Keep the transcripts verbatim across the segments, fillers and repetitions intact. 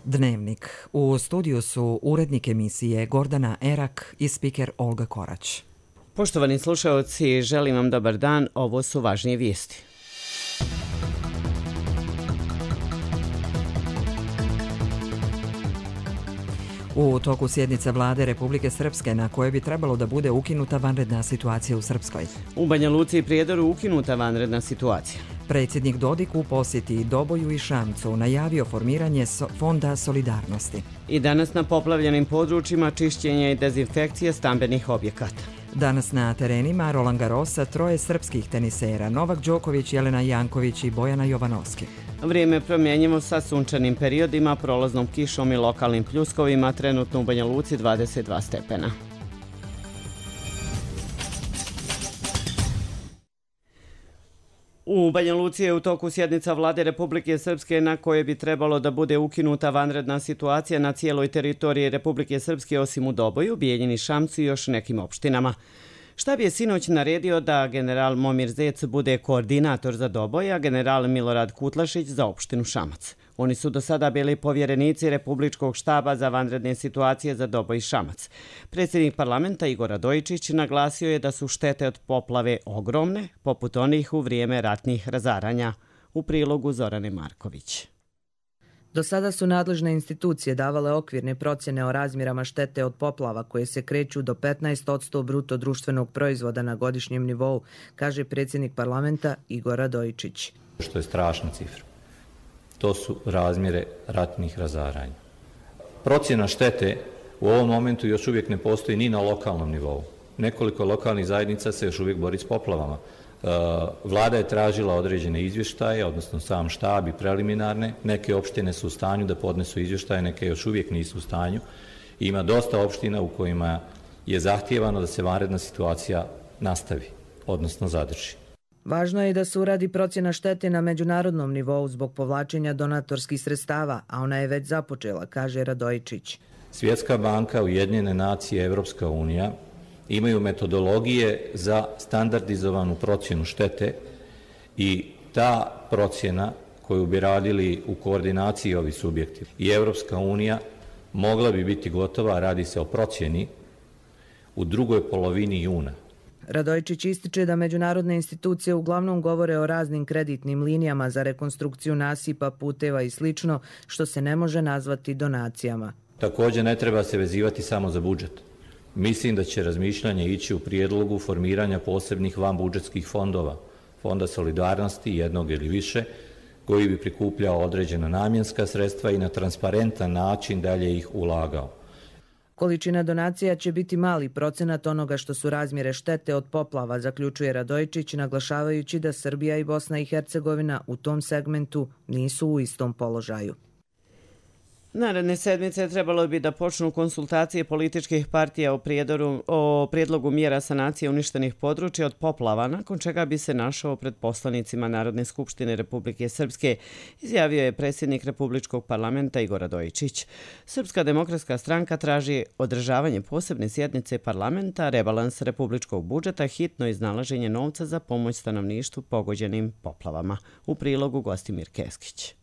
Dnevnik. U studiju su urednik emisije Gordana Erak i spiker Olga Korać. Poštovani slušaoci, želim vam dobar dan, ovo su važnije vijesti. U toku sjednice vlade Republike Srpske na kojoj bi trebalo da bude ukinuta vanredna situacija u Srpskoj. U Banja Luci i Prijedoru ukinuta vanredna situacija. Predsjednik Dodik u posjeti Doboju i Šamcu najavio formiranje so- Fonda solidarnosti. I danas na poplavljenim područjima čišćenje i dezinfekcije stambenih objekata. Danas na terenima Roland Garrosa troje srpskih tenisera Novak Đoković, Jelena Janković i Bojana Jovanovski. Vrijeme promjenjivo sa sunčanim periodima, prolaznom kišom i lokalnim pljuskovima, trenutno u Banja Luci dvadeset dva stepena. U Banja Luci je u toku sjednica vlade Republike Srpske na kojoj bi trebalo da bude ukinuta vanredna situacija na cijeloj teritoriji Republike Srpske osim u Doboju, Bijeljini, Šamcu i još nekim opštinama. Štab je sinoć naredio da general Momir Zec bude koordinator za Doboj, a general Milorad Kutlašić za opštinu Šamac. Oni su do sada bili povjerenici Republičkog štaba za vanredne situacije za Doboj i Šamac. Predsjednik parlamenta Igor Radojičić naglasio je da su štete od poplave ogromne, poput onih u vrijeme ratnih razaranja. U prilogu Zorane Marković. Do sada su nadležne institucije davale okvirne procjene o razmjerama štete od poplava koje se kreću do petnaest posto bruto društvenog proizvoda na godišnjem nivou, kaže predsjednik parlamenta Igor Radojičić. Što je strašna cifra. To su razmjere ratnih razaranja. Procjena štete u ovom momentu još uvijek ne postoji ni na lokalnom nivou. Nekoliko lokalnih zajednica se još uvijek bori s poplavama. Vlada je tražila određene izvještaje, odnosno sam štab i preliminarne. Neke opštine su u stanju da podnesu izvještaje, neke još uvijek nisu u stanju. Ima dosta opština u kojima je zahtijevano da se vanredna situacija nastavi, odnosno zadrži. Važno je da se uradi procjena štete na međunarodnom nivou zbog povlačenja donatorskih sredstava, a ona je već započela, kaže Radojičić. Svjetska banka, Ujedinjene nacije, Evropska unija imaju metodologije za standardizovanu procjenu štete i ta procjena koju bi radili u koordinaciji ovi subjekti i Evropska unija mogla bi biti gotova, radi se o procjeni, u drugoj polovini juna. Radojičić ističe da međunarodne institucije uglavnom govore o raznim kreditnim linijama za rekonstrukciju nasipa, puteva i slično, što se ne može nazvati donacijama. Također ne treba se vezivati samo za budžet. Mislim da će razmišljanje ići u prijedlogu formiranja posebnih vanbudžetskih fondova, Fonda solidarnosti jednog ili više, koji bi prikupljao određena namjenska sredstva i na transparentan način dalje ih ulagao. Količina donacija će biti mali procenat onoga što su razmjere štete od poplava, zaključuje Radojičić, naglašavajući da Srbija i Bosna i Hercegovina u tom segmentu nisu u istom položaju. Naredne sedmice trebalo bi da počnu konsultacije političkih partija o, prijedoru, o prijedlogu mjera sanacije uništenih područja od poplava, nakon čega bi se našao pred poslanicima Narodne skupštine Republike Srpske, izjavio je predsjednik Republičkog parlamenta Igor Radojičić. Srpska demokratska stranka traži održavanje posebne sjednice parlamenta, rebalans republičkog budžeta, hitno iznalaženje novca za pomoć stanovništvu pogođenim poplavama. U prilogu Gostimir Keskić.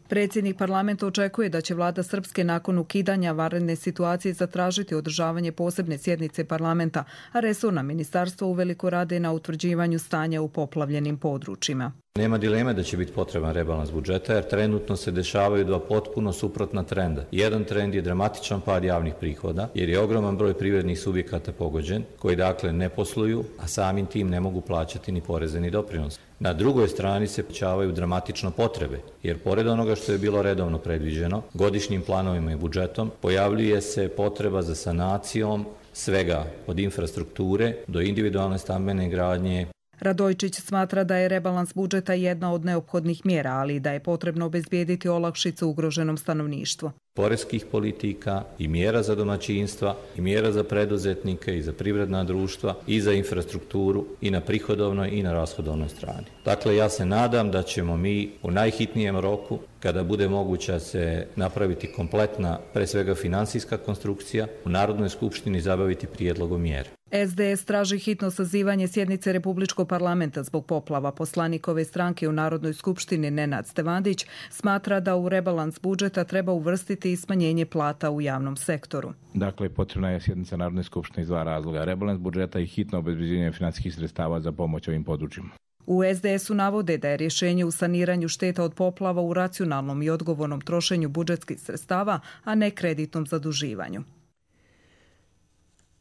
Predsjednik parlamenta očekuje da će vlada Srpske nakon ukidanja vanredne situacije zatražiti održavanje posebne sjednice parlamenta, a resorna ministarstva uveliko rade na utvrđivanju stanja u poplavljenim područjima. Nema dileme da će biti potreban rebalans budžeta jer trenutno se dešavaju dva potpuno suprotna trenda. Jedan trend je dramatičan pad javnih prihoda jer je ogroman broj privrednih subjekata pogođen koji dakle ne posluju, a samim tim ne mogu plaćati ni poreze ni doprinose. Na drugoj strani se povećavaju dramatično potrebe jer pored onoga što je bilo redovno predviđeno, godišnjim planovima i budžetom pojavljuje se potreba za sanacijom svega od infrastrukture do individualne stambene gradnje. Radojičić smatra da je rebalans budžeta jedna od neophodnih mjera, ali i da je potrebno obezbijediti olakšicu ugroženom stanovništvu. poreskih politika i mjera za domaćinstva i mjera za preduzetnike i za privredna društva i za infrastrukturu i na prihodovnoj i na rashodovnoj strani. Dakle, ja se nadam da ćemo mi u najhitnijem roku, kada bude moguće se napraviti kompletna, pre svega financijska konstrukcija, u Narodnoj skupštini zabaviti prijedlogom mjere. S D S traži hitno sazivanje sjednice Republičkog parlamenta zbog poplava. Poslanik ove stranke u Narodnoj skupštini Nenad Stevandić smatra da u rebalans budžeta treba uvrstiti i smanjenje plata u javnom sektoru. Dakle, potrebna je sjednica Narodne skupštine iz dva razloga. Rebalans budžeta i hitno obezbeđenje financijskih sredstava za pomoć ovim područjima. U S D S-u navode da je rješenje u saniranju šteta od poplava u racionalnom i odgovornom trošenju budžetskih sredstava, a ne kreditnom zaduživanju.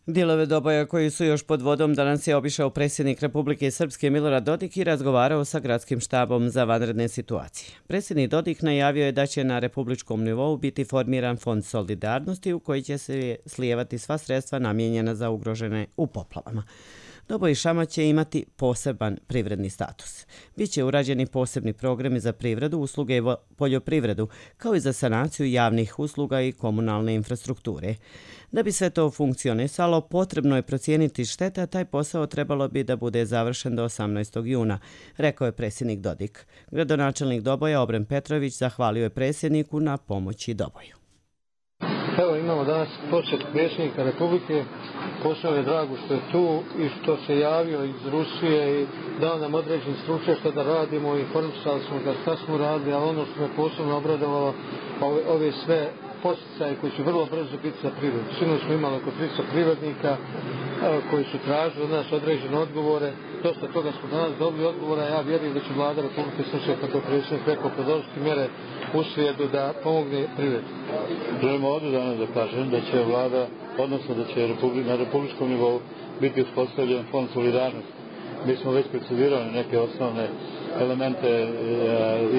Dijelove Doboja koji su još pod vodom danas je obišao predsjednik Republike Srpske Milorad Dodik i razgovarao sa gradskim štabom za vanredne situacije. Predsjednik Dodik najavio je da će na republičkom nivou biti formiran fond solidarnosti u koji će se slijevati sva sredstva namijenjena za ugrožene u poplavama. Doboj i Šamac će imati poseban privredni status. Biće urađeni posebni programi za privredu, usluge i poljoprivredu, kao i za sanaciju javnih usluga i komunalne infrastrukture. Da bi sve to funkcionisalo, potrebno je procijeniti štete, a taj posao trebalo bi da bude završen do osamnaestog juna, rekao je predsjednik Dodik. Gradonačelnik Doboja Obren Petrović zahvalio je predsjedniku na pomoći Doboju. Evo, imamo danas posjet predsjednika Republike. Posao je drago što je tu i što se javio iz Rusije i dao nam određen stručnjak što da radimo i informisali smo ga šta smo radili, ali ono što me posebno obradovalo, ove, ove sve posticaje koji će vrlo brzo biti za privredu. Sinoć smo imali oko tristo privrednika koji su tražili od nas određene odgovore. Dosta toga smo danas dobili odgovora, ja vjerujem da će vlada Republike Srpske, kako je predsjednik rekao, podržati mjere u slijedu da pomogne privredu. Želimo ovdje danas da kažem da će vlada, odnosno da će na republičkom nivou biti uspostavljen fond solidarnosti. Mi smo već precidirali neke osnovne elemente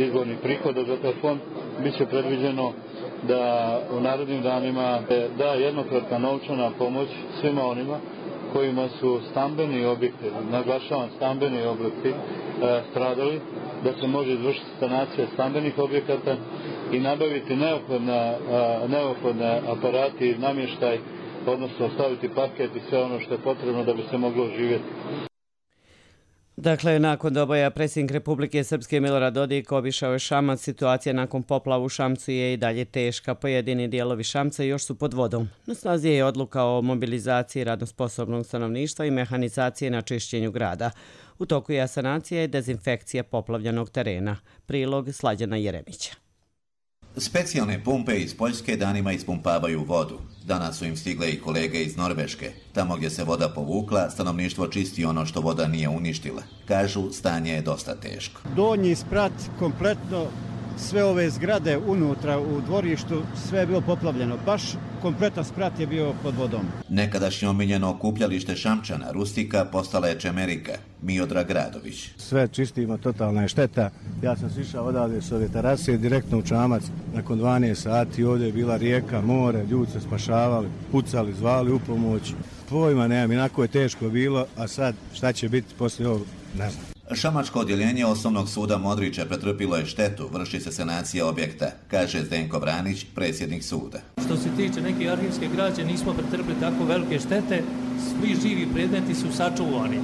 izbornih prihoda za taj fond. Biće predviđeno da u narednim danima da jednokratna novčana pomoć svima onima kojima su stambeni objekti, naglašavam stambeni objekti, stradali, da se može izvršiti sanacija stambenih objekata i nabaviti neophodne, neophodne aparati i namještaj, odnosno staviti paket i sve ono što je potrebno da bi se moglo živjeti. Dakle, nakon Doboja predsjednik Republike Srpske Milorad Dodik obišao je Šamac. Situacija nakon poplava u Šamcu je i dalje teška. Pojedini dijelovi Šamca još su pod vodom. Na snazi je odluka o mobilizaciji radno sposobnog stanovništva i mehanizacije na čišćenju grada. U toku je sanacija i dezinfekcija poplavljenog terena. Prilog Slađana Jeremića. Specijalne pumpe iz Poljske danima ispumpavaju vodu. Danas su im stigle i kolege iz Norveške. Tamo gdje se voda povukla, stanovništvo čisti ono što voda nije uništila. Kažu, stanje je dosta teško. Donji sprat, kompletno sve ove zgrade unutra u dvorištu, sve je bilo poplavljeno. Baš kompletan sprat je bio pod vodom. Nekadašnje omiljeno okupljalište Šamčana, Rustika, postala je Čemerika. Miodrag Radović. Sve čistimo, totalna je šteta. Ja sam sišao odavde s ove terase direktno u Čamac. Nakon dvanaest sati ovdje je bila rijeka, more, ljudi se spašavali, pucali, zvali u pomoć. Pojma nemam, inako je teško bilo, a sad šta će biti poslije ovog, ne znam. Šamačko odjeljenje Osnovnog suda Modrića pretrpilo je štetu, vrši se sanacija objekta, kaže Zdenko Vranić, predsjednik suda. Što se tiče neke arhivske građe, nismo pretrpili tako velike štete, svi živi predmeti su sačuvani.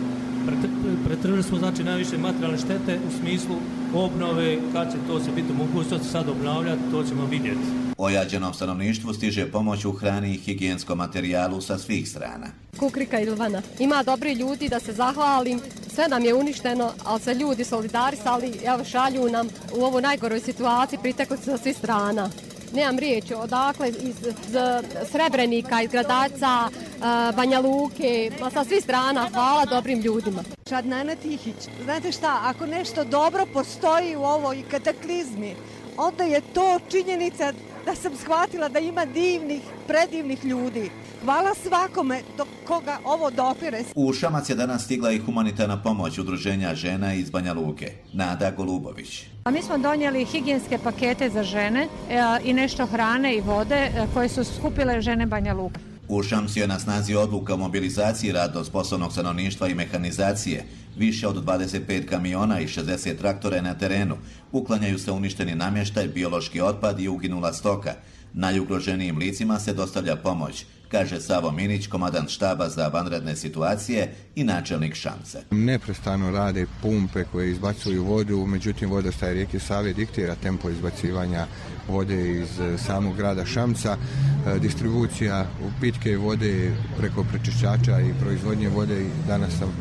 Pretrpili smo znači najviše materijalne štete u smislu obnove, kad će to se biti mogućnosti sad obnavljati, to ćemo vidjeti. Ojađenom stanovništvu stiže pomoć u hrani i higijenskom materijalu sa svih strana. Kukrika Ilvana. Ima dobri ljudi, da se zahvalim. Sve nam je uništeno, ali se ljudi solidarisali, evo šalju nam u ovoj najgoroj situaciji, pritekli sa svih strana. Nemam riječi, odakle iz Srebrenika, iz Gradaca, Banja Luke, sa svih strana, hvala dobrim ljudima. Šadnana Tihić, znate šta, ako nešto dobro postoji u ovoj kataklizmi, onda je to činjenica da sam shvatila da ima divnih, predivnih ljudi. Hvala svakome do koga ovo dopire. U Šamac je danas stigla i humanitarna pomoć udruženja žena iz Banja Luke. Nada Golubović. A mi smo donijeli higijenske pakete za žene e, i nešto hrane i vode e, koje su skupile žene Banja Luka. U Šamcu je na snazi odluka o mobilizaciji radno sposobnog stanovništva i mehanizacije. Više od dvadeset pet kamiona i šezdeset traktora je na terenu. Uklanjaju se uništeni namještaj, biološki otpad i uginula stoka. Najugroženijim licima se dostavlja pomoć, kaže Savo Minić, komandant štaba za vanredne situacije i načelnik Šamca. Neprestano rade pumpe koje izbacuju vodu, međutim vodostaj rijeke Save diktira tempo izbacivanja vode iz samog grada Šamca. Distribucija pitke vode preko prečišćača i proizvodnje vode danas sam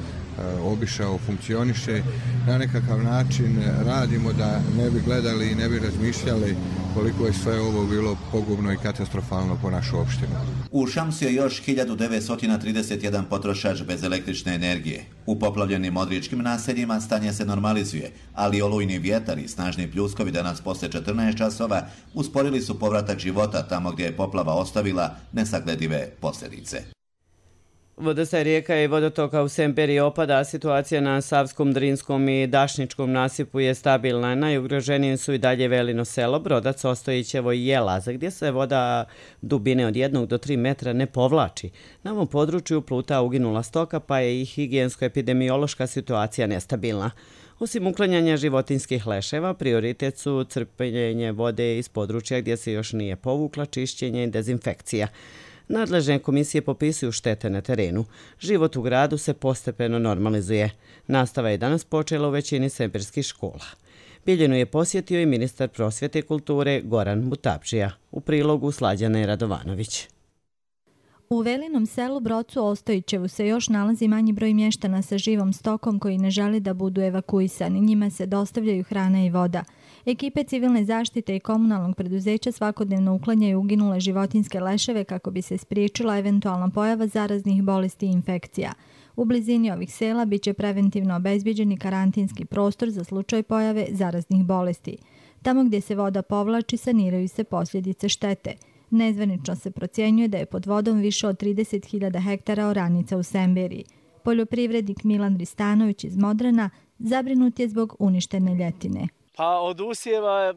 obišao, funkcioniše. Na nekakav način radimo da ne bi gledali i ne bi razmišljali koliko je sve ovo bilo pogubno i katastrofalno po našu opštinu. U Šamsu je još hiljadu devetsto trideset jedan potrošač bez električne energije. U poplavljenim modričkim naseljima stanje se normalizuje, ali olujni vjetar i snažni pljuskovi danas posle četrnaest časova usporili su povratak života tamo gdje je poplava ostavila nesagledive posljedice. Vodostaj rijeka i vodotoka u Semperiji opada, a situacija na Savskom, Drinskom i Dašničkom nasipu je stabilna. Najugroženije su i dalje Velino selo, Brodac, Ostojićevo i Jelaza, gdje se voda dubine od jednog do tri metra ne povlači. Na ovom području pluta uginula stoka, pa je i higijensko-epidemiološka situacija nestabilna. Osim uklanjanja životinskih leševa, prioritet su crpljenje vode iz područja gdje se još nije povukla, čišćenje i dezinfekcija. Nadležne komisije popisuju štete na terenu. Život u gradu se postepeno normalizuje. Nastava je danas počela u većini semperskih škola. Bijeljinu je posjetio i ministar prosvjete i kulture Goran Mutabdžija. U prilogu Slađana Radovanović. U Velinom selu Brocu Ostojićevu se još nalazi manji broj mještana sa živom stokom koji ne želi da budu evakuisani. Njima se dostavljaju hrana i voda. Ekipe civilne zaštite i komunalnog preduzeća svakodnevno uklanjaju uginule životinjske leševe kako bi se spriječila eventualna pojava zaraznih bolesti i infekcija. U blizini ovih sela biće preventivno obezbjeđeni karantinski prostor za slučaj pojave zaraznih bolesti. Tamo gdje se voda povlači saniraju se posljedice štete. Nezvanično se procjenjuje da je pod vodom više od trideset hiljada hektara oranica u Semberiji. Poljoprivrednik Milan Ristanović iz Modrana zabrinut je zbog uništene ljetine. Pa od usjeva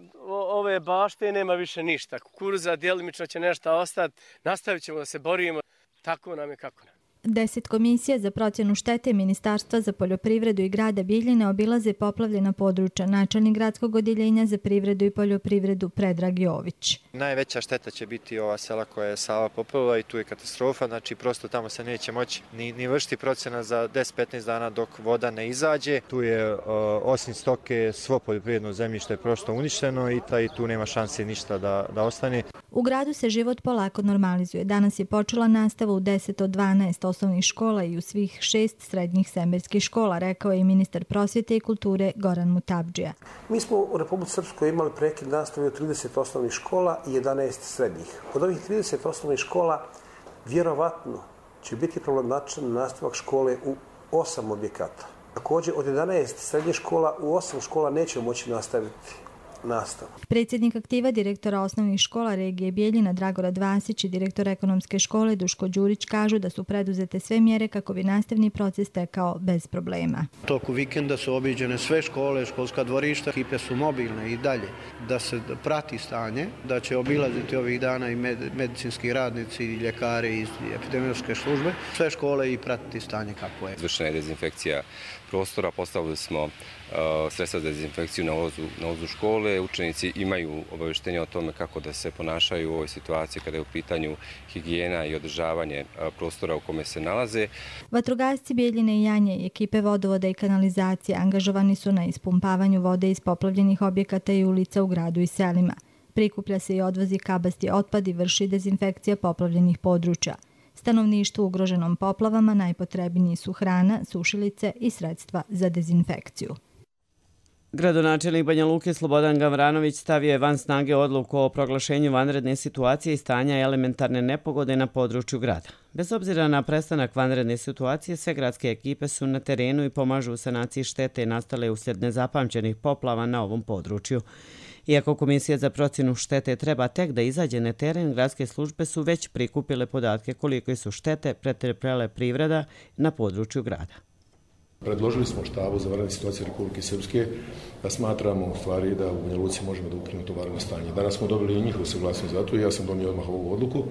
ove bašte nema više ništa. Kukuruza djelimično će nešto ostati. Nastavit ćemo da se borimo. Tako nam je kako nam. Deset komisija za procjenu štete Ministarstva za poljoprivredu i grada Bijeljine obilaze poplavljena područja. Načelnik gradskog odjeljenja za privredu i poljoprivredu Predrag Jović. Najveća šteta će biti ova sela koja je Sava poplavila i tu je katastrofa. Znači prosto tamo se neće moći ni, ni vršiti procjena za deset do petnaest dana dok voda ne izađe. Tu je uh, osim stoke svo poljoprivredno zemljište je prosto uništeno i taj tu nema šanse ništa da, da ostane. U gradu se život polako normalizuje. Danas je počela nastava u deset od dvanaest osnovnih škola i u svih šest srednjih semberskih škola, rekao je i ministar prosvjete i kulture Goran Mutabdžija. Mi smo u Republici Srpskoj imali prekid nastave u trideset osnovnih škola i jedanaest srednjih. Od ovih trideset osnovnih škola vjerovatno će biti problematičan nastavak škole u osam objekata. Također od jedanaest srednjih škola u osam škola neće moći nastaviti nastavu. Predsjednik aktiva direktora osnovnih škola regije Bijeljina Dragorad Vasić i direktor ekonomske škole Duško Đurić kažu da su preduzete sve mjere kako bi nastavni proces tekao bez problema. Toku vikenda su obiđene sve škole, školska dvorišta, ekipe su mobilne i dalje. Da se prati stanje, da će obilaziti ovih dana i med, medicinski radnici i ljekari iz epidemiološke službe, sve škole i pratiti stanje kako je. Izvršena je dezinfekcija prostora, postavili smo uh, sredstva za dezinfekciju na ulazu, na ulazu škole. Učenici imaju obavještenje o tome kako da se ponašaju u ovoj situaciji kada je u pitanju higijena i održavanje uh, prostora u kome se nalaze. Vatrogasci Bijeljine i Janje i ekipe vodovoda i kanalizacije angažovani su na ispumpavanju vode iz poplavljenih objekata i ulica u gradu i selima. Prikuplja se i odvozi kabasti otpad i vrši dezinfekcija poplavljenih područja. Stanovništvu ugroženom poplavama najpotrebniji su hrana, sušilice i sredstva za dezinfekciju. Gradonačelnik Banja Luke Slobodan Gavranović stavio je van snage odluku o proglašenju vanredne situacije i stanja elementarne nepogode na području grada. Bez obzira na prestanak vanredne situacije, sve gradske ekipe su na terenu i pomažu u sanaciji štete nastale uslijed nezapamćenih poplava na ovom području. Iako Komisija za procjenu štete treba tek da izađe na teren, gradske službe su već prikupile podatke koliko su štete pretrpjele privreda na području grada. Predložili smo štabu za vanredne situacije Republike Srpske da smatramo u stvari da u Banja Luci možemo da ukinemo to vanredno stanje. Danas smo dobili i njihovu saglasnost za to i ja sam donio odmah ovu odluku.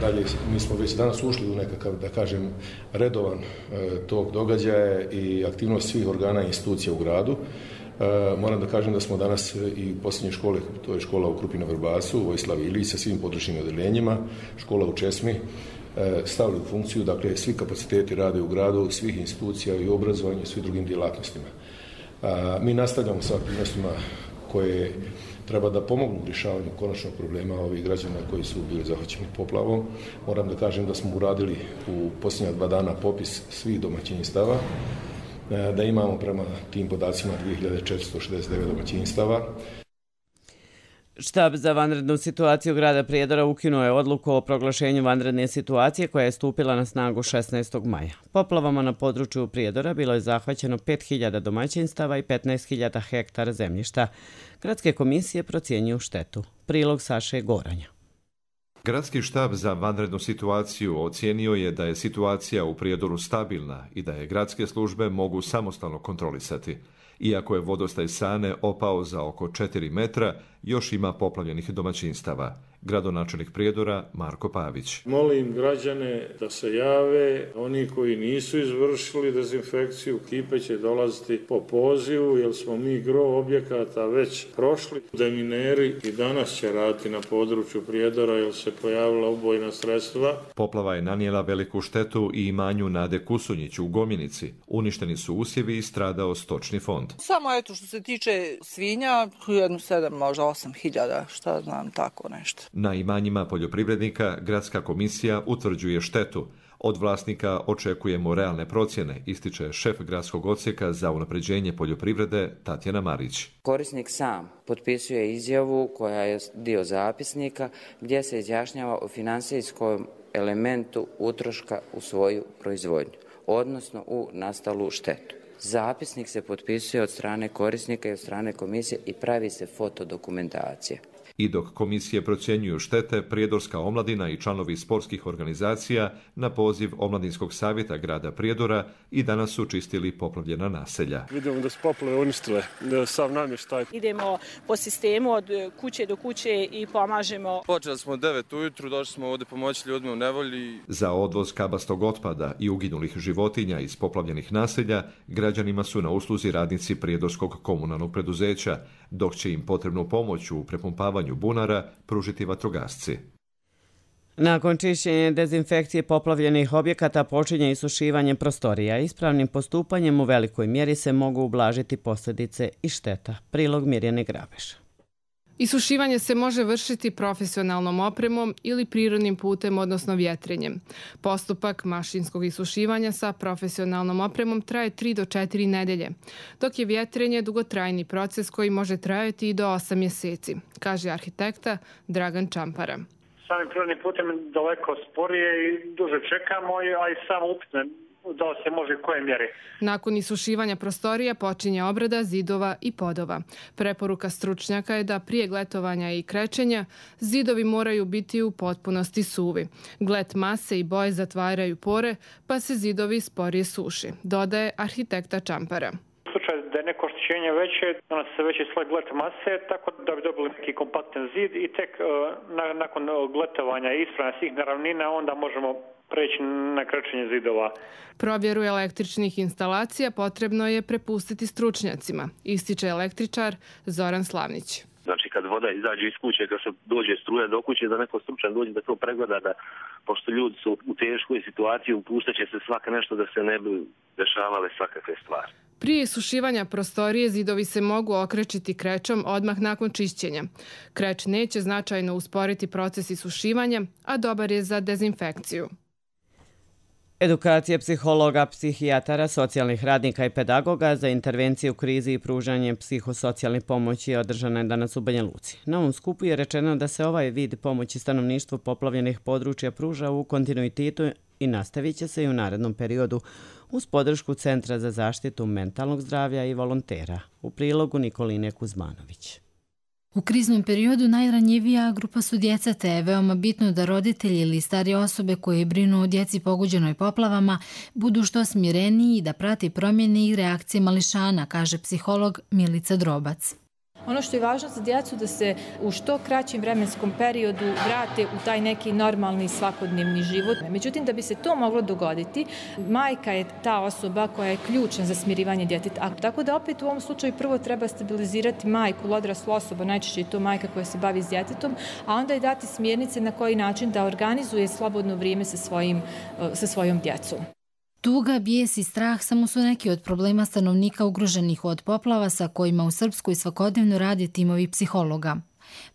Dalje, mi smo već danas ušli u nekakav, da kažem, redovan tog događaja i aktivnost svih organa i institucija u gradu. Moram da kažem da smo danas i posljednje škole, to je škola u Krupina Vrbasu, Vojislav Ilić sa svim područnim odeljenjima, škola u Česmi, stavili u funkciju, dakle svi kapaciteti rade u gradu, svih institucija i obrazovanja i svih drugim djelatnostima. Mi nastavljamo sa aktivnostima koje treba da pomognu u rješavanju konačnog problema ovih građana koji su bili zahvaćeni poplavom. Moram da kažem da smo uradili u posljednja dva dana popis svih domaćinstava, da imamo prema tim podacima dvije hiljade četiristo šezdeset devet domaćinstava. Štab za vanrednu situaciju grada Prijedora ukinuo je odluku o proglašenju vanredne situacije koja je stupila na snagu šesnaestog maja. Poplavama na području Prijedora bilo je zahvaćeno pet hiljada domaćinstava i petnaest hiljada hektara zemljišta. Gradske komisije procjenjuju štetu. Prilog Saše Goranja. Gradski štab za vanrednu situaciju ocijenio je da je situacija u Prijedoru stabilna i da je gradske službe mogu samostalno kontrolisati. Iako je vodostaj Sane opao za oko četiri metra, još ima poplavljenih domaćinstava. Gradonačelnik Prijedora Marko Pavić. Molim građane da se jave, oni koji nisu izvršili dezinfekciju, ekipe će dolaziti po pozivu, jer smo mi gro objekata već prošli. Demineri i danas će raditi na području Prijedora, jer se pojavila ubojna sredstva. Poplava je nanijela veliku štetu i imanju Nade Kusunjić u Gomjenici. Uništeni su usjevi i stradao stočni fond. Samo eto što se tiče svinja, jedno sedam, možda osam hiljada, šta znam, tako nešto. Na imanjima poljoprivrednika Gradska komisija utvrđuje štetu. Od vlasnika očekujemo realne procjene, ističe šef gradskog odsjeka za unapređenje poljoprivrede Tatjana Marić. Korisnik sam potpisuje izjavu koja je dio zapisnika gdje se izjašnjava o financijskom elementu utroška u svoju proizvodnju, odnosno u nastalu štetu. Zapisnik se potpisuje od strane korisnika i od strane komisije i pravi se fotodokumentacija. I dok komisije procjenjuju štete, Prijedorska omladina i članovi sportskih organizacija na poziv Omladinskog savjeta grada Prijedora i danas su čistili poplavljena naselja. Vidimo da su poplave uništile sav namještaj. Idemo po sistemu od kuće do kuće i pomažemo. Počeli smo od devet ujutru, došli smo ovdje pomoći ljudima u nevolji. Za odvoz kabastog otpada i uginulih životinja iz poplavljenih naselja građanima su na usluzi radnici Prijedorskog komunalnog preduzeća, dok će im potrebnu pomoć u prepumpavanju bunara pružiti vatrogasci. Nakon čišćenja dezinfekcije poplavljenih objekata počinje isušivanje prostorija. Ispravnim postupanjem u velikoj mjeri se mogu ublažiti posljedice i šteta. Prilog Mirjane Grabeš. Isušivanje se može vršiti profesionalnom opremom ili prirodnim putem, odnosno vjetrenjem. Postupak mašinskog isušivanja sa profesionalnom opremom traje tri do četiri nedelje, dok je vjetrenje dugotrajni proces koji može trajati i do osam mjeseci, kaže arhitekta Dragan Čampara. Samim prirodnim putem daleko sporije i duže čekamo, a i samo upitne da se može u koje mjeri. Nakon isušivanja prostorija počinje obrada zidova i podova. Preporuka stručnjaka je da prije gletovanja i krečenja zidovi moraju biti u potpunosti suvi. Glet mase i boje zatvaraju pore, pa se zidovi sporije suši, dodaje arhitekta Čampara. U slučaju da je neko oštećenje veće, donosi se veći sloj glet mase, tako da bi dobili neki kompaktan zid i tek uh, na, nakon gletovanja i ispravljanja svih neravnina onda možemo preći na krečenje zidova. Provjeru električnih instalacija potrebno je prepustiti stručnjacima, ističe električar Zoran Slavnić. Znači kad voda izađe iz kuće, kad se dođe struja do kuće, da neko stručan dođe da to pregleda, da pošto ljudi su u teškoj situaciji, upuštat će se svaka nešto da se ne bi dešavale svakakve stvari. Prije isušivanja prostorije zidovi se mogu okrečiti krećom odmah nakon čišćenja. Kreč neće značajno usporiti proces isušivanja, a dobar je za dezinfekciju. Edukacija psihologa, psihijatara, socijalnih radnika i pedagoga za intervenciju u krizi i pružanje psihosocijalne pomoći održana je danas u Banja Luci. Na ovom skupu je rečeno da se ovaj vid pomoći stanovništvu poplavljenih područja pruža u kontinuitetu i nastavit će se i u narednom periodu uz podršku Centra za zaštitu mentalnog zdravlja i volontera. U prilogu Nikoline Kuzmanović. U kriznom periodu najranjivija grupa su djeca, te je veoma bitno da roditelji ili starije osobe koje brinu o djeci pogođenoj poplavama budu što smireniji i da prati promjene i reakcije mališana, kaže psiholog Milica Drobac. Ono što je važno za djecu da se u što kraćem vremenskom periodu vrate u taj neki normalni svakodnevni život. Međutim, da bi se to moglo dogoditi, majka je ta osoba koja je ključna za smirivanje djeteta. A tako da opet u ovom slučaju prvo treba stabilizirati majku, odraslu osobu, najčešće je to majka koja se bavi s djetetom, a onda i dati smjernice na koji način da organizuje slobodno vrijeme sa, svojim, sa svojom djecom. Tuga, bijes i strah samo su neki od problema stanovnika ugroženih od poplava sa kojima u Srpskoj svakodnevno rade timovi psihologa.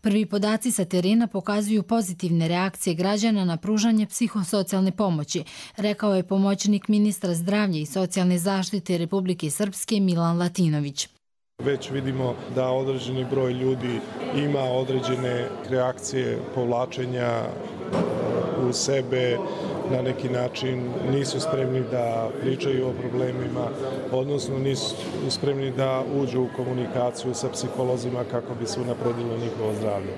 Prvi podaci sa terena pokazuju pozitivne reakcije građana na pružanje psihosocijalne pomoći, rekao je pomoćnik ministra zdravlja i socijalne zaštite Republike Srpske Milan Latinović. Već vidimo da određeni broj ljudi ima određene reakcije povlačenja u sebe, na neki način nisu spremni da pričaju o problemima, odnosno nisu spremni da uđu u komunikaciju sa psiholozima kako bi se unapredilo njihovo zdravlje.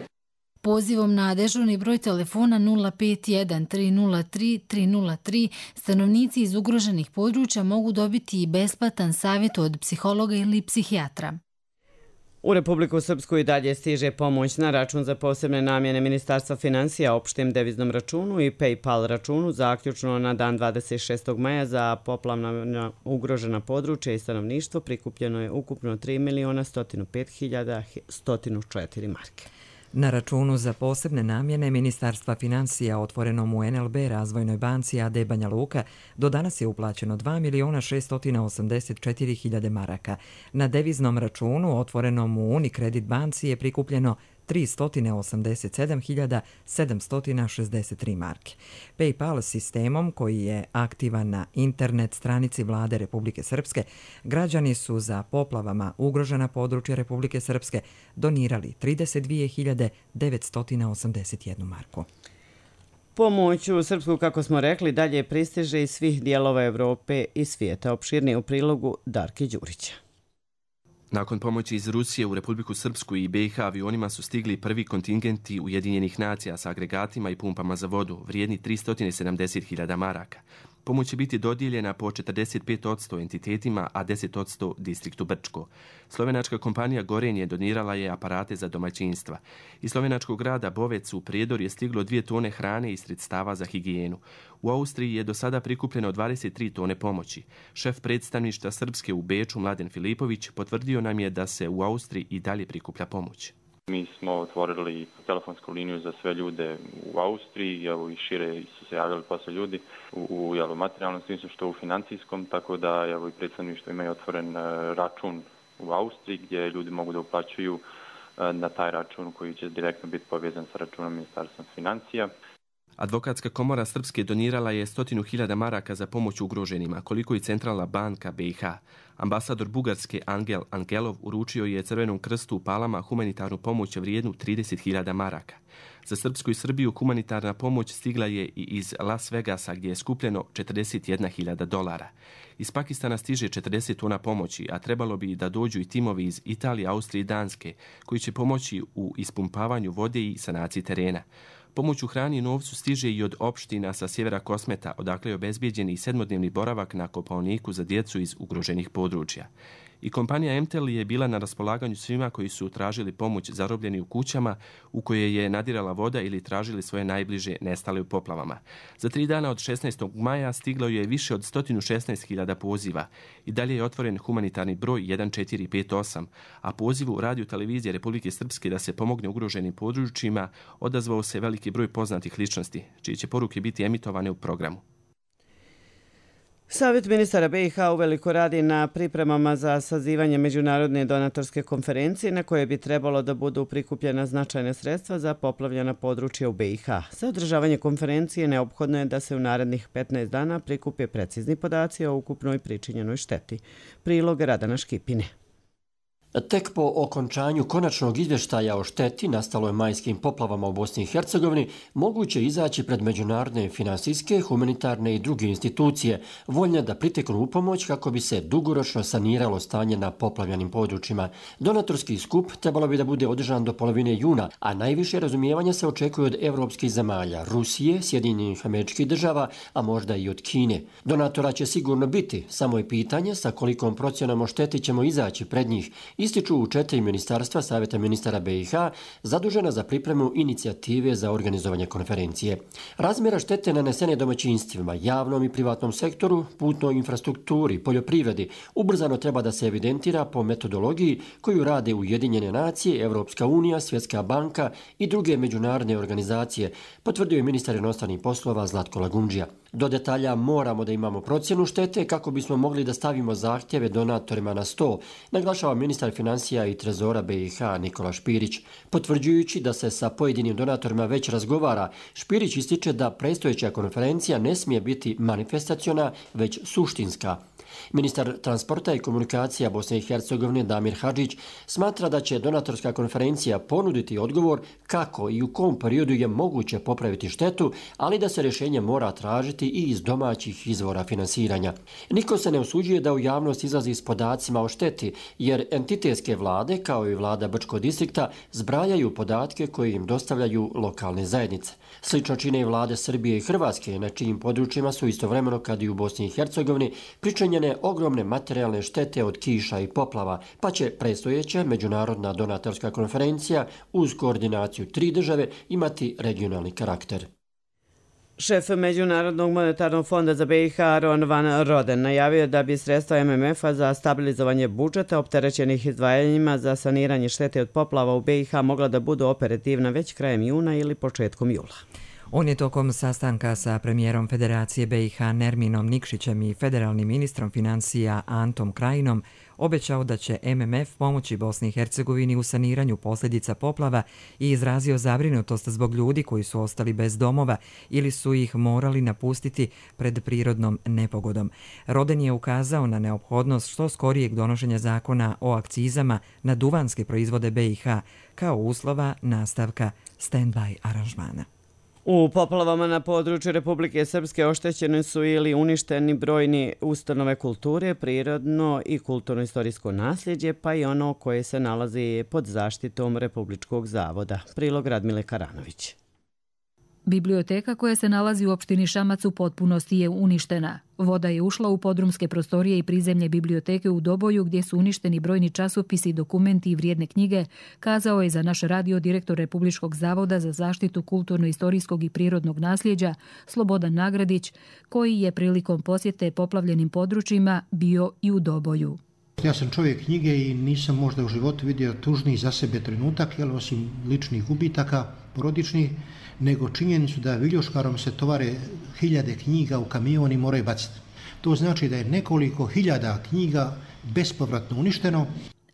Pozivom na dežurni broj telefona nula pet jedan tri nula tri tri nula tri stanovnici iz ugroženih područja mogu dobiti i besplatan savjet od psihologa ili psihijatra. U Republiku Srpsku i dalje stiže pomoć na račun za posebne namjene Ministarstva finansija, opštem deviznom računu i PayPal računu zaključno na dan dvadeset šestog maja za poplavna ugrožena područja i stanovništvo prikupljeno je ukupno tri miliona sto pet hiljada sto četiri marke. Na računu za posebne namjene Ministarstva financija otvorenom u N L B Razvojnoj banci A D Banja Luka do danas je uplaćeno dva miliona šesto osamdeset četiri hiljade maraka. Na deviznom računu otvorenom u Unicredit banci je prikupljeno tristo osamdeset sedam hiljada sedamsto šezdeset tri marke. PayPal sistemom koji je aktivan na internet stranici Vlade Republike Srpske, građani su za poplavama ugrožena područja Republike Srpske donirali trideset dvije hiljade devetsto osamdeset jednu marku. Pomoć u Srpsku, kako smo rekli, dalje pristiže iz svih dijelova Evrope i svijeta. Opširnije u prilogu Darke Đurića. Nakon pomoći iz Rusije u Republiku Srpsku i B i H avionima su stigli prvi kontingenti Ujedinjenih nacija sa agregatima i pumpama za vodu, vrijedni tristo sedamdeset hiljada maraka. Pomoć će biti dodijeljena po četrdeset pet posto entitetima, a deset posto distriktu Brčko. Slovenačka kompanija Gorenje donirala je aparate za domaćinstva. Iz slovenačkog grada Bovec u Prijedor je stiglo dvije tone hrane i sredstava za higijenu. U Austriji je do sada prikupljeno dvadeset tri tone pomoći. Šef predstavništva Srpske u Beču, Mladen Filipović, potvrdio nam je da se u Austriji i dalje prikuplja pomoć. Mi smo otvorili telefonsku liniju za sve ljude u Austriji, evo i šire su se javljali posle ljudi u, u jel, materijalnom smislu što u financijskom, tako da evo, i predstavništvo imaju otvoren račun u Austriji gdje ljudi mogu da uplaćuju na taj račun koji će direktno biti povezan sa računom Ministarstva financija. Advokatska komora Srpske donirala je stotinu hiljada maraka za pomoć ugroženima, koliko i Centralna banka B i H. Ambasador Bugarske Angel Angelov uručio je Crvenom krstu u Palama humanitarnu pomoć vrijednu trideset hiljada maraka. Za Srpsku i Srbiju humanitarna pomoć stigla je i iz Las Vegasa gdje je skupljeno četrdeset jedna hiljada dolara. Iz Pakistana stiže četrdeset tona pomoći, a trebalo bi da dođu i timovi iz Italije, Austrije i Danske koji će pomoći u ispumpavanju vode i sanaciji terena. Pomoć u hrani i novcu stiže i od opština sa sjevera Kosmeta, odakle je obezbijeđen i sedmodnevni boravak na Kopaoniku za djecu iz ugroženih područja. I kompanija M T L je bila na raspolaganju svima koji su tražili pomoć zarobljeni u kućama u koje je nadirala voda ili tražili svoje najbliže nestale u poplavama. Za tri dana od šesnaestog maja stiglo je više od sto šesnaest hiljada poziva i dalje je otvoren humanitarni broj jedan četiri pet osam, a pozivu Radio Televizije Republike Srpske da se pomogne ugroženim područjima odazvao se veliki broj poznatih ličnosti, čije će poruke biti emitovane u programu. Savjet ministara B i H uveliko radi na pripremama za sazivanje međunarodne donatorske konferencije na koje bi trebalo da budu prikupljena značajna sredstva za poplavljena područja u B i H. Za održavanje konferencije neophodno je da se u narednih petnaest dana prikupe precizni podaci o ukupnoj pričinjenoj šteti. Prilog Radana Škipine. Tek po okončanju konačnog izvještaja o šteti nastaloj majskim poplavama u Bosni i Hercegovini moguće izaći pred međunarodne finansijske, humanitarne i druge institucije voljne da priteknu u pomoć kako bi se dugoročno saniralo stanje na poplavljenim područjima. Donatorski skup trebalo bi da bude održan do polovine juna, a najviše razumijevanja se očekuje od evropskih zemalja, Rusije, Sjedinjenih Američkih Država, a možda i od Kine. Donatora će sigurno biti, samo je pitanje sa kolikom procjenom o šteti ćemo izaći pred njih ističu u četiri ministarstva Savjeta ministara B i H zadužena za pripremu inicijative za organizovanje konferencije. Razmjera štete nanesene domaćinstvima, javnom i privatnom sektoru, putnoj infrastrukturi, poljoprivredi ubrzano treba da se evidentira po metodologiji koju rade Ujedinjene nacije, Evropska unija, Svjetska banka i druge međunarodne organizacije, potvrdio je ministar inostranih poslova Zlatko Lagundžija. Do detalja moramo da imamo procjenu štete kako bismo mogli da stavimo zahtjeve donatorima na sto, naglašava ministar financija i trezora B i H Nikola Špirić. Potvrđujući da se sa pojedinim donatorima već razgovara, Špirić ističe da predstojeća konferencija ne smije biti manifestaciona, već suštinska. Ministar transporta i komunikacija Bosne i Hercegovine Damir Hadžić smatra da će donatorska konferencija ponuditi odgovor kako i u kom periodu je moguće popraviti štetu, ali da se rješenje mora tražiti i iz domaćih izvora finansiranja. Niko se ne usuđuje da u javnost izlazi s podacima o šteti, jer entitetske vlade, kao i vlada Brčkog distrikta, zbrajaju podatke koje im dostavljaju lokalne zajednice. Slično čine i vlade Srbije i Hrvatske, na čijim područjima su istovremeno, kad i u Bosni i Hercegovini, pričinjene ogromne materijalne štete od kiša i poplava, pa će predstojeća međunarodna donatorska konferencija uz koordinaciju tri države imati regionalni karakter. Šef Međunarodnog monetarnog fonda za B i H Aaron Van Roden najavio da bi sredstva M M F-a za stabilizovanje budžeta opterećenih izdvajanjima za saniranje štete od poplava u B i H mogla da budu operativna već krajem juna ili početkom jula. On je tokom sastanka sa premijerom Federacije B i H Nerminom Nikšićem i federalnim ministrom financija Antom Krajinom obećao da će M M F pomoći Bosni i Hercegovini u saniranju posljedica poplava i izrazio zabrinutost zbog ljudi koji su ostali bez domova ili su ih morali napustiti pred prirodnom nepogodom. Roden je ukazao na neophodnost što skorijeg donošenja zakona o akcizama na duvanske proizvode B i H kao uslova nastavka stand-by aranžmana. U poplavama na području Republike Srpske oštećeni su ili uništeni brojni ustanove kulture, prirodno i kulturno-istorijsko nasljeđe, pa i ono koje se nalazi pod zaštitom Republičkog zavoda. Prilog Radmile Karanović. Biblioteka koja se nalazi u opštini Šamac u potpunosti je uništena. Voda je ušla u podrumske prostorije i prizemlje biblioteke u Doboju gdje su uništeni brojni časopisi, dokumenti i vrijedne knjige, kazao je za naš radio direktor Republičkog zavoda za zaštitu kulturno-istorijskog i prirodnog nasljeđa Slobodan Nagradić, koji je prilikom posjete poplavljenim područjima bio i u Doboju. Ja sam čovjek knjige i nisam možda u životu vidio tužniji za sebe trenutak, jel, osim ličnih gubitaka, porodičnih, nego činjenicu da viljuškarom se tovare hiljade knjiga u kamion i moraju baciti. To znači da je nekoliko hiljada knjiga bespovratno uništeno.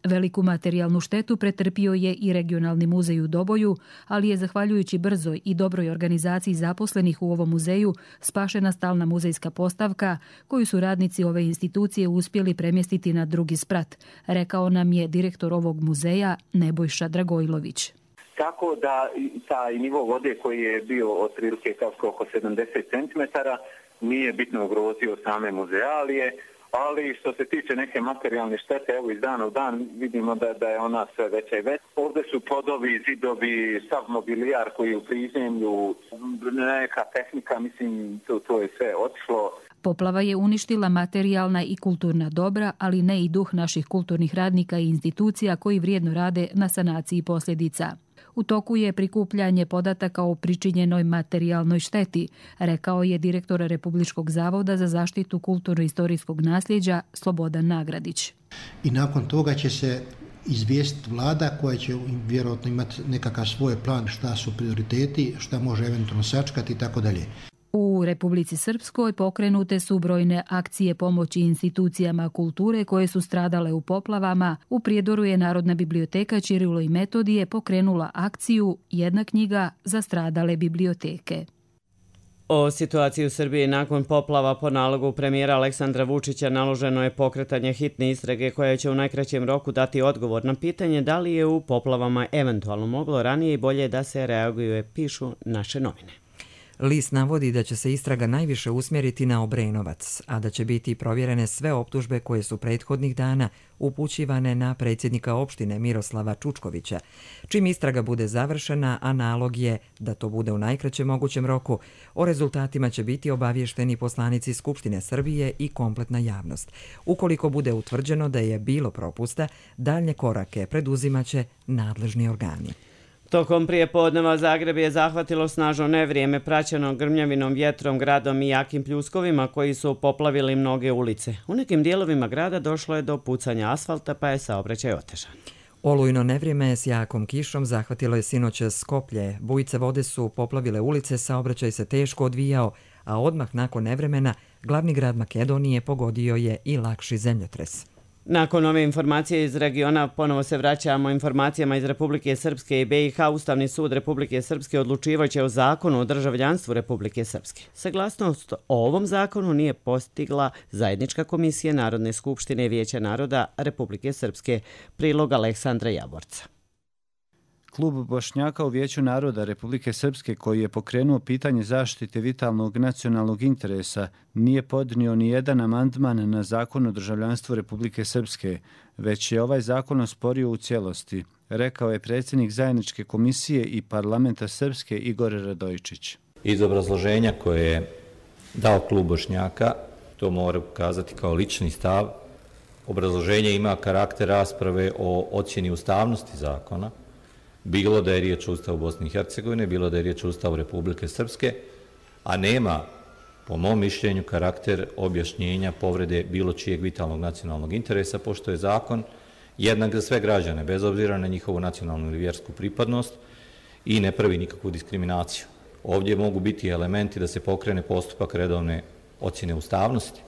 Veliku materijalnu štetu pretrpio je i regionalni muzej u Doboju, ali je zahvaljujući brzoj i dobroj organizaciji zaposlenih u ovom muzeju spašena stalna muzejska postavka koju su radnici ove institucije uspjeli premjestiti na drugi sprat, rekao nam je direktor ovog muzeja Nebojša Dragojlović. Tako da taj nivo vode koji je bio otprilike oko sedamdeset centimetara nije bitno ugrozio same muzealije, ali što se tiče neke materijalne štete, evo iz dana u dan vidimo da, da je ona sve veća i veća. Ovdje su podovi, zidovi, sav mobilijar koji je u prizemlju, neka tehnika, mislim, to, to je sve otišlo. Poplava je uništila materijalna i kulturna dobra, ali ne i duh naših kulturnih radnika i institucija koji vrijedno rade na sanaciji posljedica. U toku je prikupljanje podataka o pričinjenoj materijalnoj šteti, rekao je direktor Republičkog zavoda za zaštitu kulturno-istorijskog nasljeđa Slobodan Nagradić. I nakon toga će se izvijestiti vlada koja će vjerojatno imati nekakav svoj plan šta su prioriteti, šta može eventualno sačkati i tako dalje. U Republici Srpskoj pokrenute su brojne akcije pomoći institucijama kulture koje su stradale u poplavama. U Prijedoru je Narodna biblioteka Ćirilo i Metodije pokrenula akciju Jedna knjiga za stradale biblioteke. O situaciji u Srbiji nakon poplava po nalogu premijera Aleksandra Vučića naloženo je pokretanje hitne istrage koja će u najkraćem roku dati odgovor na pitanje da li je u poplavama eventualno moglo ranije i bolje da se reaguje, pišu naše novine. List navodi da će se istraga najviše usmjeriti na Obrenovac, a da će biti provjerene sve optužbe koje su prethodnih dana upućivane na predsjednika opštine Miroslava Čučkovića. Čim istraga bude završena, a nalog je da to bude u najkraćem mogućem roku, o rezultatima će biti obavješteni poslanici Skupštine Srbije i kompletna javnost. Ukoliko bude utvrđeno da je bilo propusta, daljnje korake preduzimaće nadležni organi. Tokom prijepodneva Zagreb je zahvatilo snažno nevrijeme praćeno grmljavinom, vjetrom, gradom i jakim pljuskovima koji su poplavili mnoge ulice. U nekim dijelovima grada došlo je do pucanja asfalta pa je saobraćaj otežan. Olujno nevrijeme s jakom kišom zahvatilo je sinoć Skoplje. Bujice vode su poplavile ulice, saobraćaj se teško odvijao, a odmah nakon nevremena glavni grad Makedonije pogodio je i lakši zemljotres. Nakon ove informacije iz regiona ponovo se vraćamo informacijama iz Republike Srpske i B i H. Ustavni sud Republike Srpske odlučivaće o zakonu o državljanstvu Republike Srpske. Saglasnost o ovom zakonu nije postigla zajednička komisija Narodne skupštine i Vijeća naroda Republike Srpske. Prilog Aleksandra Javorca. Klub Bošnjaka u Vijeću naroda Republike Srpske, koji je pokrenuo pitanje zaštite vitalnog nacionalnog interesa, nije podnio ni jedan amandman na zakon o državljanstvu Republike Srpske, već je ovaj zakon osporio u cijelosti, rekao je predsjednik zajedničke komisije i parlamenta Srpske Igor Radojičić. Iz obrazloženja koje je dao klub Bošnjaka, to mora kazati kao lični stav, obrazloženje ima karakter rasprave o ocjeni ustavnosti zakona, bilo da je riječ o Ustavu Bosne i Hercegovine, bilo da je riječ o Ustavu Republike Srpske, a nema, po mom mišljenju, karakter objašnjenja povrede bilo čijeg vitalnog nacionalnog interesa, pošto je zakon jednak za sve građane, bez obzira na njihovu nacionalnu ili vjersku pripadnost i ne pravi nikakvu diskriminaciju. Ovdje mogu biti elementi da se pokrene postupak redovne ocjene ustavnosti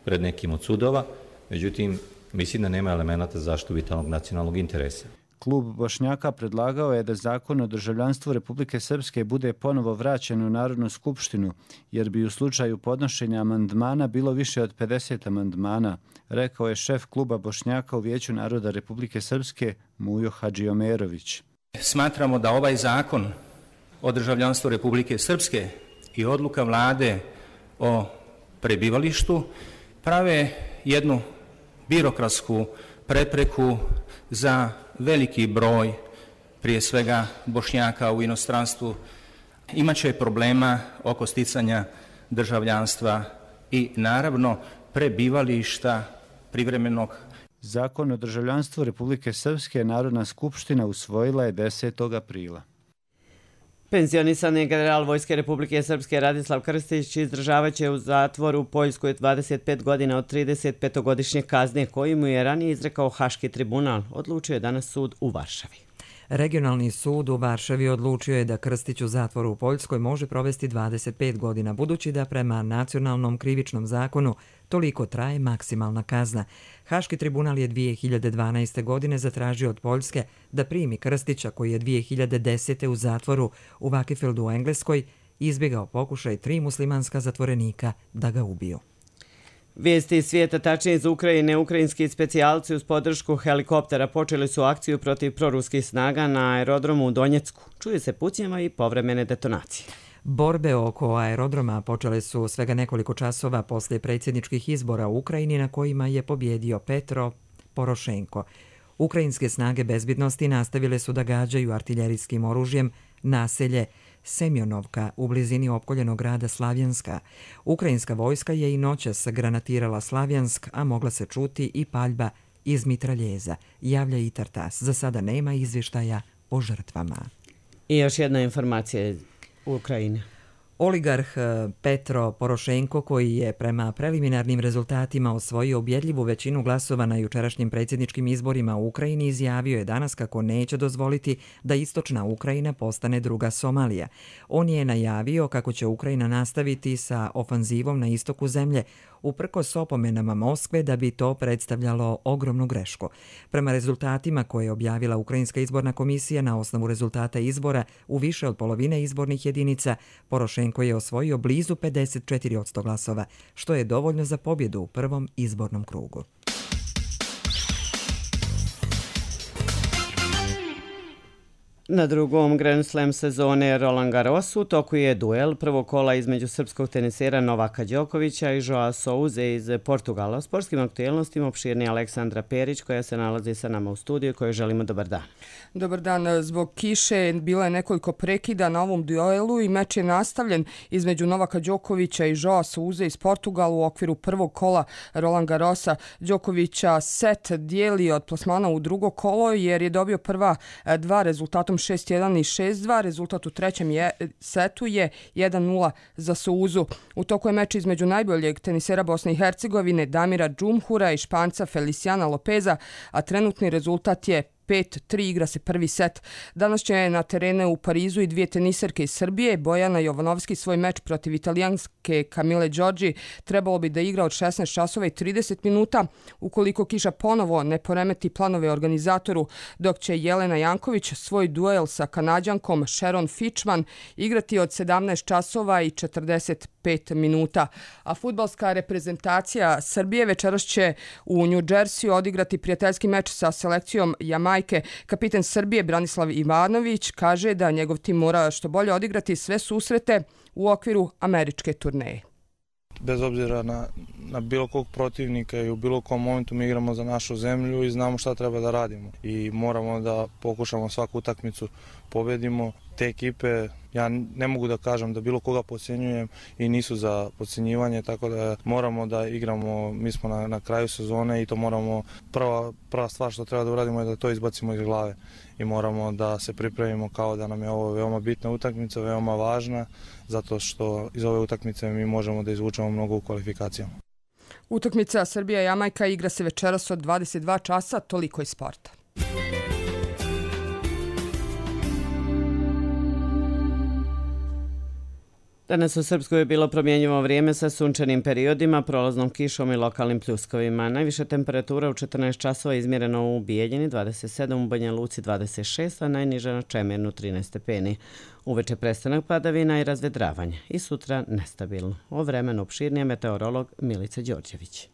pred nekim od sudova, međutim, mislim da nema elemenata za zaštitu vitalnog nacionalnog interesa. Klub Bošnjaka predlagao je da zakon o državljanstvu Republike Srpske bude ponovo vraćen u Narodnu skupštinu, jer bi u slučaju podnošenja amandmana bilo više od pedeset amandmana, rekao je šef kluba Bošnjaka u Vijeću naroda Republike Srpske Mujo Hadžiomerović. Smatramo da ovaj zakon o državljanstvu Republike Srpske i odluka vlade o prebivalištu prave jednu birokratsku prepreku za veliki broj, prije svega Bošnjaka u inostranstvu. Imaće problema oko sticanja državljanstva i naravno prebivališta privremenog. Zakon o državljanstvu Republike Srpske Narodna skupština usvojila je desetog aprila. Penzionisani general Vojske Republike Srpske Radislav Krstić izdržavaće u zatvoru u Poljskoj dvadeset pet godina od trideset petogodišnje kazne koju mu je ranije izrekao Haški tribunal, odlučio je danas sud u Varšavi. Regionalni sud u Varšavi odlučio je da Krstić u zatvoru u Poljskoj može provesti dvadeset pet godina, budući da prema nacionalnom krivičnom zakonu toliko traje maksimalna kazna. Haški tribunal je dvije hiljade dvanaeste. godine zatražio od Poljske da primi Krstića, koji je dvije hiljade desete. u zatvoru u Vakifeldu u Engleskoj izbjegao pokušaj tri muslimanska zatvorenika da ga ubiju. Vijesti iz svijeta, tačnije iz Ukrajine. Ukrajinski specijalci uz podršku helikoptera počeli su akciju protiv proruskih snaga na aerodromu u Donjecku. Čuje se pucnjava i povremene detonacije. Borbe oko aerodroma počele su svega nekoliko časova poslije predsjedničkih izbora u Ukrajini na kojima je pobjedio Petro Porošenko. Ukrajinske snage bezbjednosti nastavile su da gađaju artiljerijskim oružjem naselje Semjonovka u blizini opkoljenog grada Slavjanska. Ukrajinska vojska je i noćas granatirala Slavjansk, a mogla se čuti i paljba iz mitraljeza, javlja i Tartas. Za sada nema izvještaja o žrtvama. I još jedna informacija iz Ukrajine. Oligarh Petro Porošenko, koji je prema preliminarnim rezultatima osvojio ubjedljivu većinu glasova na jučerašnjim predsjedničkim izborima u Ukrajini, izjavio je danas kako neće dozvoliti da istočna Ukrajina postane druga Somalija. On je najavio kako će Ukrajina nastaviti sa ofanzivom na istoku zemlje, uprkos opomenama Moskve da bi to predstavljalo ogromnu grešku. Prema rezultatima koje je objavila Ukrajinska izborna komisija na osnovu rezultata izbora u više od polovine izbornih jedinica, Porošenko je osvojio blizu pedeset četiri posto glasova, što je dovoljno za pobjedu u prvom izbornom krugu. Na drugom Grand Slam sezone Roland Garrosu u toku je duel prvog kola između srpskog tenisera Novaka Đokovića i Joao Souze iz Portugala. O sportskim aktuelnostima opširnije Aleksandra Perić koja se nalazi sa nama u studiju i kojoj želimo dobar dan. Dobar dan. Zbog kiše bilo je nekoliko prekida na ovom duelu i meč je nastavljen između Novaka Đokovića i Joao Souze iz Portugala u okviru prvog kola Roland Garrosa. Đokovića set dijeli od plasmana u drugo kolo jer je dobio prva dva rezultatom šest jedan i šest dva. Rezultat u trećem je, setu je jedan nula za Souzu. U toku je meč između najboljeg tenisera Bosne i Hercegovine Damira Džumhura i Španca Feliciana Lopeza, a trenutni rezultat je pet tri, igra se prvi set. Danas će na terene u Parizu i dvije teniserke iz Srbije. Bojana Jovanovski svoj meč protiv italijanske Camille Giorgi trebalo bi da igra od šesnaest časova i trideset minuta, ukoliko kiša ponovo ne poremeti planove organizatoru, dok će Jelena Janković svoj duel sa Kanađankom Sharon Fitchman igrati od sedamnaest časova i četrdeset pet minuta. A fudbalska reprezentacija Srbije večeras će u New Jersey odigrati prijateljski meč sa selekcijom Jamajke. Kapiten Srbije Branislav Ivanović kaže da njegov tim mora što bolje odigrati sve susrete u okviru američke turneje. Bez obzira na, na bilo kog protivnika i u bilo kom momentu mi igramo za našu zemlju i znamo šta treba da radimo. I moramo da pokušamo svaku utakmicu pobedimo. Te ekipe, ja ne mogu da kažem da bilo koga podcjenjujem i nisu za podcjenjivanje, tako da moramo da igramo, mi smo na, na kraju sezone i to moramo, prva, prva stvar što treba da uradimo je da to izbacimo iz glave i moramo da se pripremimo kao da nam je ovo veoma bitna utakmica, veoma važna, zato što iz ove utakmice mi možemo da izvučemo mnogo u kvalifikacijama. Utakmica Srbija-Jamajka igra se večeras od dvadeset dva časa, toliko iz sporta. Danas u Srpskoj je bilo promjenjivo vrijeme sa sunčanim periodima, prolaznom kišom i lokalnim pljuskovima. Najviša temperatura u četrnaest časova izmjereno u Bijeljini, dvadeset sedam, u Banja Luci dvadeset šest, a najniža na Čemernu trinaest stepeni. Uveče prestanak padavina i razvedravanje. I sutra nestabilno. O vremenu opširnije meteorolog Milica Đorđević.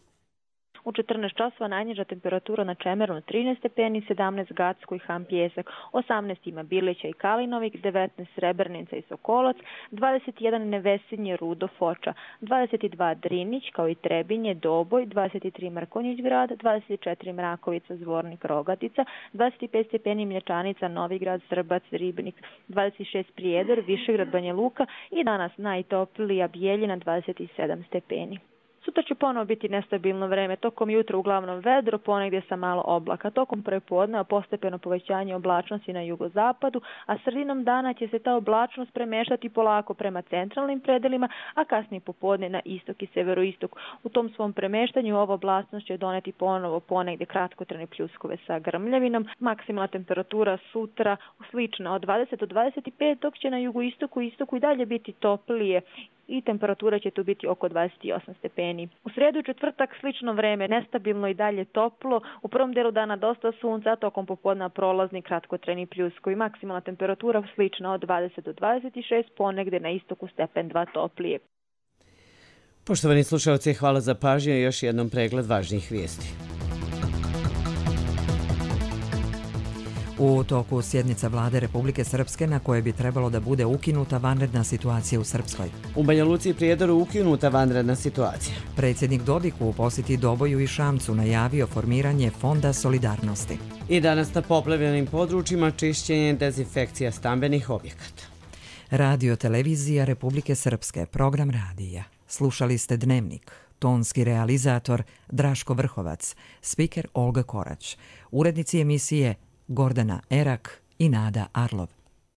U četrnaest časova najniža temperatura na Čemernu trinaest stepeni, sedamnaest Gacko i Han Pjesak, osamnaest ima Bilića i Kalinovik, devetnaest Srebrnica i Sokolac, dvadeset jedan Nevesinje, Rudo, Foča, dvadeset dva Drinić kao i Trebinje, Doboj, dvadeset tri Mrkonjić grad, dvadeset četiri Mrakovica, Zvornik, Rogatica, dvadeset pet stepeni Mlječanica, Novigrad, Srbac, Ribnik, dvadeset šest Prijedor, Višegrad, Banja Luka i danas najtoplija Bijeljina dvadeset sedam stepeni. Sutra će ponovo biti nestabilno vreme, tokom jutra uglavnom vedro, ponegdje sa malo oblaka, tokom prepodneva postepeno povećanje oblačnosti na jugozapadu, a sredinom dana će se ta oblačnost premještati polako prema centralnim predelima, a kasnije popodne na istok i severoistok. U tom svom premještanju ova oblacnost će doneti ponovo ponegdje kratkotrajne pljuskove sa grmljavinom. Maksimalna temperatura sutra slična od dvadeset do dvadeset pet, dok će na jugoistoku i istoku i dalje biti toplije i temperatura će tu biti oko dvadeset osam stepeni. U sredu i četvrtak slično vreme, nestabilno i dalje toplo. U prvom delu dana dosta sunca, tokom popodna prolazni kratkotrajni pljuskovi. Maksimalna temperatura slična od dvadeset do dvadeset šest, ponegde na istoku stepen dva toplije. Poštovani slušalci, hvala za pažnju i još jednom pregled važnijih vijesti. U toku sjednica vlade Republike Srpske na kojoj bi trebalo da bude ukinuta vanredna situacija u Srpskoj. U Banja Luci i Prijedoru ukinuta vanredna situacija. Predsjednik Dodik u posjeti Doboju i Šamcu najavio formiranje Fonda solidarnosti. I danas na poplavljenim područjima čišćenje i dezinfekcija stambenih objekata. Radio Televizija Republike Srpske, program radija. Slušali ste Dnevnik. Tonski realizator Draško Vrhovac, spiker Olga Korać, urednici emisije Gordana Erak i Nada Arlov.